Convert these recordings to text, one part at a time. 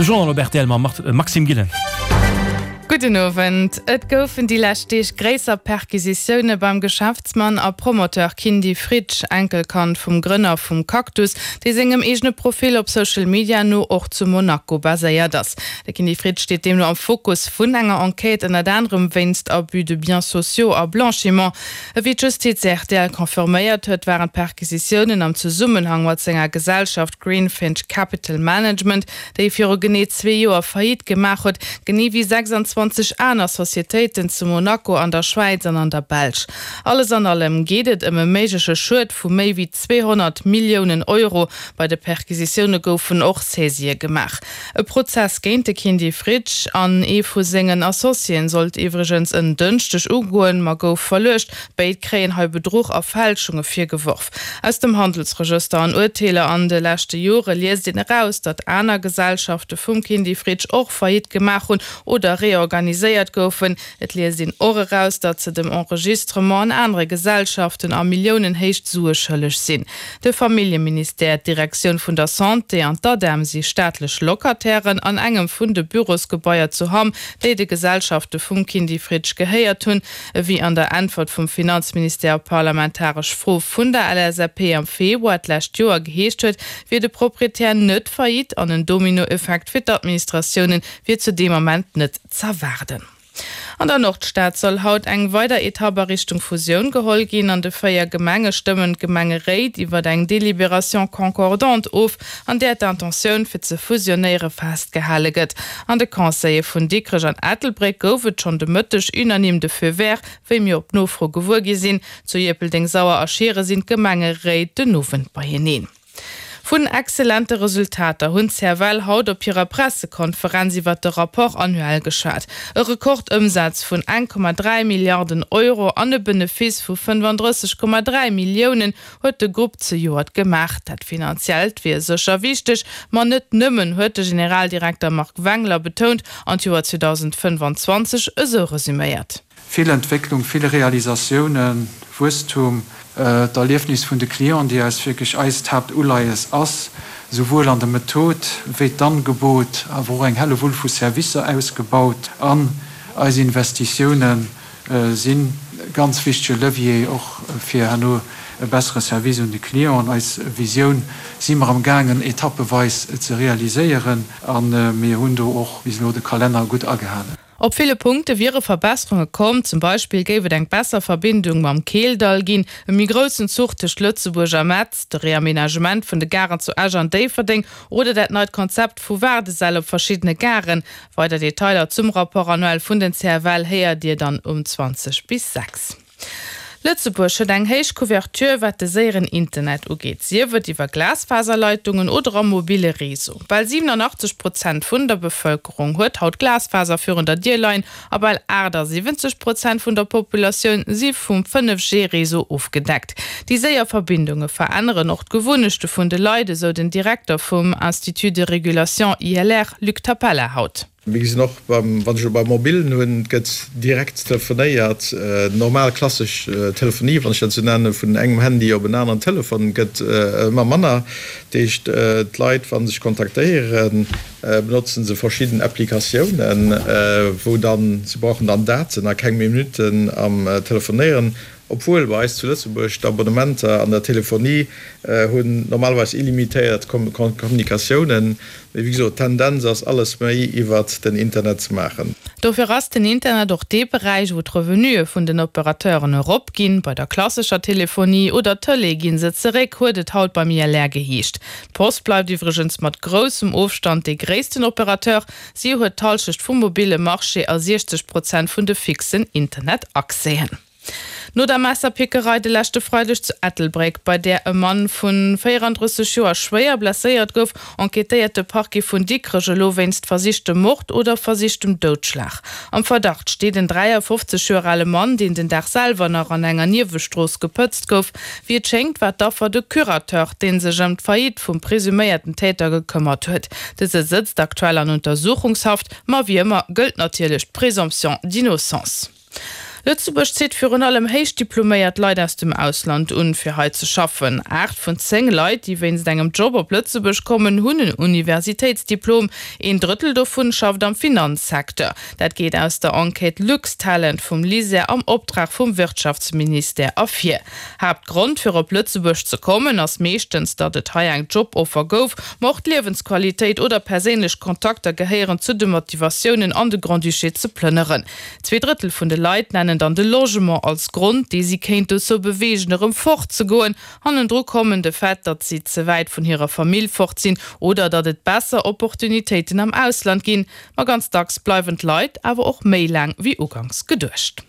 De Journal op rtl mam Maxime Gillen. Gudden Owend. Et goufen déi lescht Deeg gréisser Perquisitioune beim Geschäftsmann a Promoteur Kindy Fritsch, Enkelkand vum Grënner vum Cactus, dee sengem eegene Profil op Social Media no och zu Monaco baséiert ass. De Kindy Fritsch steet deemno am Fokus vun enger Enquête, ënnert anerem wéinst Abus de biens sociaux a Blanchiment. Ewéi d'Justiz rtl confirméiert huet, waren d'Perquisitiounen am Zesummenhang mat senger Gesellschaft Greenfinch Capital Management, déi e viru genee zwee Joer Faillite gemaach huet, genee wéi 26 aner Societéiten zu Monaco, an der Schwäiz an an der Belsch. Alles an allem geet et ëm e méigleche Schued vu méi wéi 200 Milliounen Euro. Bei de Perquisitioune goufen och Saisië gemaach. E Prozess géint de Kindy Fritsch an ee vu sengen Associéen sollt iwwregens en Dënschdeg ugoen, ma gouf verluecht. Béid kréien hei Bedruch a Fälschunge virgeworf. Aus dem Handelsregëster an Urteeler an de leschte Jore liest een eraus, datt aner Gesellschafte vum Kindy Fritsch och Faillite gemaach hunn oder reorganiséiert goufen. Et liest een och eraus, datt se dem Enregistrement an anere Gesellschaften a Milliounenhéicht Sue schëlleg sinn. De Familljeministère, d'Direktioun vun der Santé an d'ADEM si staatlech Locatairen an engem vun de Bürosgebaier zu Hamm, déi de Gesellschafte vum Kindy Fritsch gehéiert hunn. Ewéi an der Äntwert vum Finanzministère op parlamentaresch Fro vun der LSAP am Februar d'lescht Joer geheescht huet, wier de Proprietär net faillite an en Dominoeffekt fir d'Administratioune wier zu deem Ament net z'erwaarden. An der Nordstad soll haut eng weider Etapp a Richtung Fusioun geholl ginn. An de 4 Gemenge stëmmen d'Gemengeréit iwwer eng Délibération concordante of, an där d'Intentioun fir ze fusionéiere festgehale gëtt. An de Conseile vun Dikrech an Ettelbréck gouf et schonn de Mëtteg unanime de Feu vert, wéi mir op Nofro gewuer gi sinn. Zu Ierpeldeng, Sauer a Schiere sinn d'Gemengeréit den Owend beieneen. Vun excellente Resultater hunn d'CFL haut op hirer Pressekonferenz iwwert de Rapport annuel geschwat. E Rekordëmsaz vun 1,3 Milliarden Euro an e Benefice vu 35,3 Milliounen huet de Grupp zejoert gemaach. Dat Finanziellt wier sécher wichteg, ma net nëmmen, huet de Generaldirekter Marc Wengler betount an d'Joer 2025 esou resuméiert. Vill Entwécklung, vill Realisatiounen, Wuesstum, d'Erliefnis vun de Clienten, déi eis wierklech eist Haaptuleies ass, souwuel an der Method wéi d'Angebot, awer och eng Hellewull vu Servicer ausgebaut an eis Investitioune si ganz wichtege Levier och fir herno e bessere Service un de Client. An eis Visioun si mer am gaangen etappeweis ze realiséieren a mir hunn do och bis elo de Kalenner gutt agehalen. Op ville Punkte wiere Verbesserunge komm, zum Beispill géif et eng besser Verbindung mam Keeldall ginn, e méi groussen Zuch tëscht Lëtzebuerg a Metz, de Reamenagement vun de Garen zu Esch an Déifferdeng oder dat neit Konzept vu Waardesäll op verschiddene Garen. Weider Detailer zum Rapport annuel vun den CFL héiert Dir dann um 20 bis 6. Lëtzebuerg huet eng héich Couverture wat de séieren Internet ugeet, sief et iwwer Glasfaserleitungen oder am mobile Réseau. Bal 87 Prozent vun der Bevëlkerung huet haut Glasfaser virun der Dier leien a bal 78 Prozent vun der Populatioun si vum 5G-Réseau ofgedeckt. Déi séier Verbindunge veränneren och d'Gewunnechte vun de Leit, esou den Direkter vum Institut de Régulation, ILR, Luc Tapella haut. Mir gesinn och beim, wann ech elo beim Mobilen hunn, et gëtt direkt telefonéiert, normal klassesch Telefonie, wann ech dat esou nennen, vun engem Handy op en aneren Telefon gëtt ëmmer manner. Dat heescht, d'Leit, wa se sech kontaktéieren, benotzen se verschidden Applikatiounen, wou dann, se brauchen dann Daten a keng Minutten am Telefonéieren. Obwuel bei eis zu Lëtzebuerg d'Abonnementer an der Telefonie hunn normalerweis illimitéiert Kommunikatiounen, mee wéi gesot, d'Tendenz ass alles méi iwwert den Internet ze maachen. Dofir ass den Internet och dee Beräich, wou d'Revenuë vun den Operateuren erop ginn. Bei der klassescher Telefonie oder Tëlee gi se zeréck, huet et haut beim ILR geheescht. D'Post bleift iwwregens mat groussem Ofstand dee gréissten Operateur. Si huet d'Hallschecht vum mobille Marché a 60 Prozent vun de fixen Internet-Accèsen. No der Messerpickerei de leschte Freideg zu Ettelbréck, bei där e Mann vu 34 Joer schwéier blesséiert gouf, enquêtéiert de Parquet vun Dikrech elo wéinst versichtem Mord oder versichtem Doudschlag. Am Verdacht steet en 53 Joer ale Mann, deen den Dag selwer nach an enger Niewestrooss gepëtzt gouf. Wéi et schéngt, war d'Affer de Curateur, dee sech ëm d'Faillite vum presuméierten Täter gekëmmert huet. Dëse sëtzt aktuell an Untersuchungshaft, ma wéi ëmmer gëllt natierlech d'Présomption d'innocence. Lëtzebuerg zitt virun allem héich diploméiert Leit aus dem Ausland un, fir hei ze schaffen. 8 vun 10 Leit, déi wéinst engem Job op Lëtzebuerg kommen, hunn en Universitéitsdiplom. Een Drëttel dovun schafft am Finanzsecteur. Dat geet aus der Enquête LuxTalent vum LISER am Optrag vum Wirtschaftsministère ervir. Haaptgrond fir op Lëtzebuerg ze kommen ass meeschtens, datt et hei eng Joboffer gouf, ma och d'Liewensqualitéit oder perséinlech Kontakter gehéieren zu de Motivatiounen an de Grand-Duché ze plënneren. Zweedrëttel vun de Leit nennen dann de Logement als Grond, dee si kéint dozou beweegen, erëm fort ze goen. Hannendru kommen de Fait, datt si ze wäit vun hirer Famill fort sinn oder datt et besser Opportunitéiten am Ausland ginn. Ma ganz dacks bleiwen d'Leit awer och méi laang wéi uganks geduecht.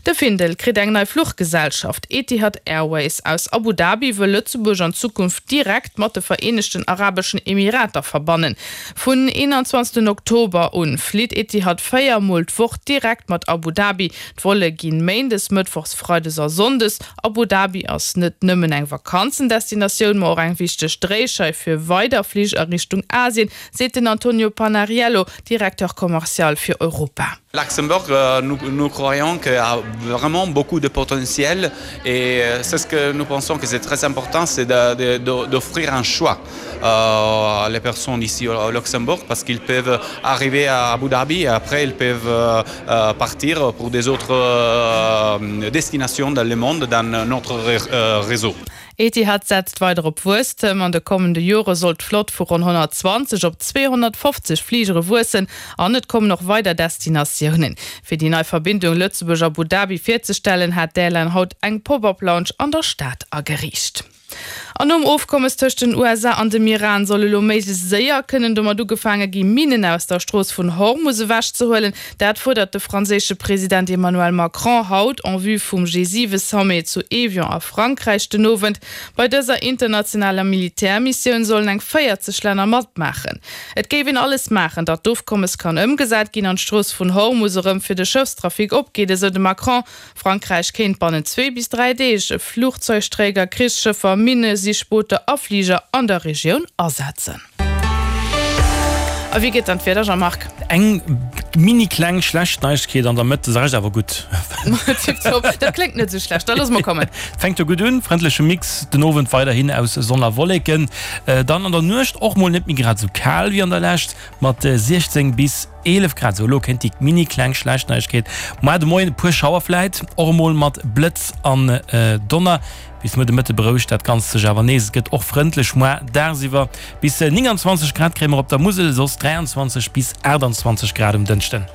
De Findel kritt eng nei Fluchgesellschaft, Etihad Airways aus Abu Dhabi wëll Lëtzebuerg an Zukunft direkt mat de Vereenegten Arabeschen Emirater verbannen. Vun 21 Oktober un flitt Etihad 4 mol d'Woch direkt mat Abu Dhabi. D'Volle ginn méindes, mëttwochs, freides a sonndes. Abu Dhabi ass net nëmmen eng Vakanzendestinatioun, ma och eng wichteg Dréischeif fir weider Flich a Richtung Asien, seet den Antonio Panariello, Directeur commercial fir Europa. Luxembourg, nous, nous croyons qu'il y a vraiment beaucoup de potentiel et c'est ce que nous pensons que c'est très important, c'est d'offrir un choix euh, les personnes ici au Luxembourg parce qu'ils peuvent arriver à Abu Dhabi et après ils peuvent euh, euh, partir pour des autres euh, destinations dans le monde dans notre euh, réseau. Etihad setzt weider op Wuesstem. An de kommende Jore soll d'Flott vu ronn 120 op 250 Fligere wuessen an et kommen och weider Destinatiounen. Fir déi nei Verbindung Lëtzebuerg-Abu Dhabi virzestellen, hat d'Airline haut eng Pop-up-Lounge an der Stad ageriicht. An nom Ofkommes tëscht den USA an dem Iran soll elo méiglechst séier kënnen domat ugefaange gi Minnen aus der Strooss vun Hormus ewechzehuelen. Dat fuerdert de franséische President Emmanuel Macron haut en vue vum G7-Sommet zu Evian a Frankräich den Owend. Bei dëser internationaler Militärmissioun sollen eng 40 Länner matmaachen. Et géif een alles maachen, datt d'Ofkommes kann ëmgesat ginn an d'Strooss vun Hormus erëm fir de Schëffstrafic opgeet, esou de Macron. Frankräich kéint bannent zwee bis 3 Deeg Flugzeugträger, Krichsschëffer, Minne-Sichbooter a Fliger an der Regioun asetzen. A wéi geet dann d'Wieder, Jean-Marc? Eng mini kleng schlecht Neiegkeet an der Mëtt, de Rescht awer gutt. Tiptop, dat kléngt net esou schlecht, da loosse mer kommen. Fänkt jo gutt un, frëndleche Mix den Owend weiderhin aus Sonn a Wolleken, dann an der Nuecht och mol net méi grad esou kal wéi an der Lescht mat 16 bis 11 Grad, sou elo kéint déi mini kleng schlecht Neiegkeet. Moar de Moien e puer Schauer vläit och emol mat Blëtz an Donner. Bis muer de Mëtte berouegt dat Ganzt sech awer nees. Et gëtt och frëndlech moar dagsiwwer. Bis 29 Grad kréie mer op der Musel, soss 23 bis 28 Grad um Dënschden.